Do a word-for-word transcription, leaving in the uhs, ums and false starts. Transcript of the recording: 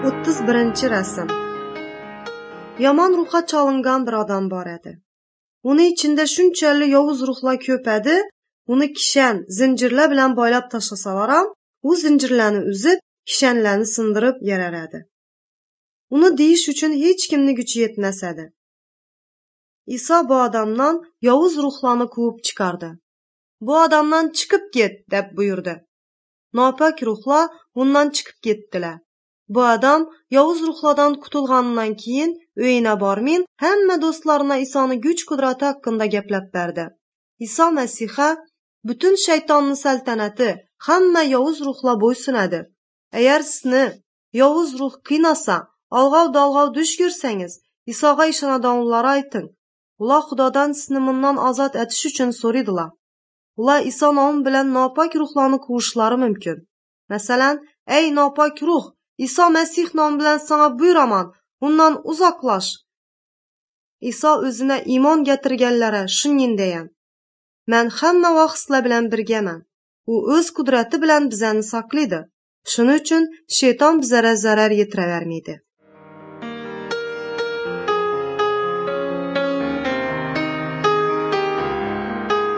O'ttiz birinchi rasm. Yomon ruhga chalingan bir odam bor edi. Uni ichida shunchalik yovuz ruhlar ko'p edi, uni kishan, zinjirlar bilan boylab tashlasalar ham, u zinjirlarni uzib, kishanlarni sindirib yarar edi. Uni deyish uchun hech kimni kuchi yetmas edi. Iso bu odamdan yovuz ruhlarni quvib chiqardi. Bu odamdan chiqib ket, deb buyurdi. Nopok ruhlar undan chiqib ketdilar. Bu odam yovuz ruhlardan qutulganidan keyin uyina bormin, hamma do'stlarına Isoni kuch-qudrati haqida gaplab berdi. Iso Masiha butun shaytonning saltanati, hamma yovuz ruhlar bo'ysunadi. Agar sizni yovuz ruh qiynasa, alg'ov-dalg'ov dush ko'rsangiz, Isoga ishonadiganlarga ayting. Ular Xudodan sizni bundan ozod etish uchun so'raydilar. Ular Iso nomi bilan nopok ruhlarni quvishlari mumkin. Masalan, ey nopok ruh, Iso Masih nomi bilan sana buyuraman, undan uzoqlash. Iso o'zina iymon getirganlara shunday degan: Men hamma vaqt sizlar bilan birgaman. U o'z qudrati bilan bizani saqlaydi. Shuning uchun shayton bizlarga zarar yetiravermaydi.